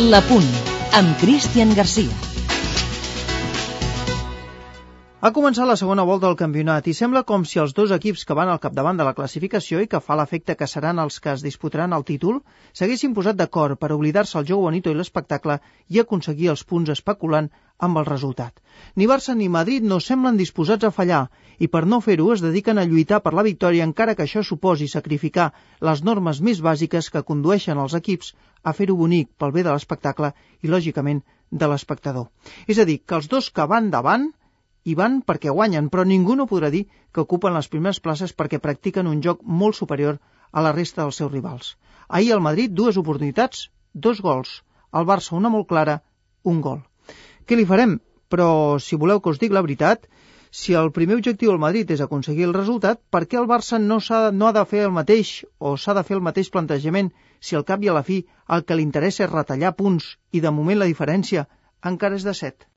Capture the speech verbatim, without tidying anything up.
La Punt, amb Cristian Garcia. Ha començat la segona volta del campionat i sembla com si els dos equips que van al capdavant de la classificació i que fa l'efecte que seran els que es disputaran el títol s'haguessin posat d'acord per oblidar-se el joc bonito i l'espectacle i aconseguir els punts especulant amb el resultat. Ni Barça ni Madrid no semblen disposats a fallar i per no fer-ho es dediquen a lluitar per la victòria encara que això suposi sacrificar les normes més bàsiques que condueixen els equips a fer-ho bonic pel bé de l'espectacle i, lògicament, de l'espectador. És a dir, que els dos que van davant i van perquè guanyen, però ningú no podrà dir que ocupen les primeres places perquè practiquen un joc molt superior a la resta dels seus rivals. Ahir al Madrid dues oportunitats, dos gols. Al Barça una molt clara, un gol. Què li farem? Però si voleu que us dic la veritat, si el primer objectiu del Madrid és aconseguir el resultat, per què el Barça no, s'ha, no ha de fer el mateix o s'ha de fer el mateix plantejament si al cap i a la fi el que li interessa és retallar punts i de moment la diferència encara és de set?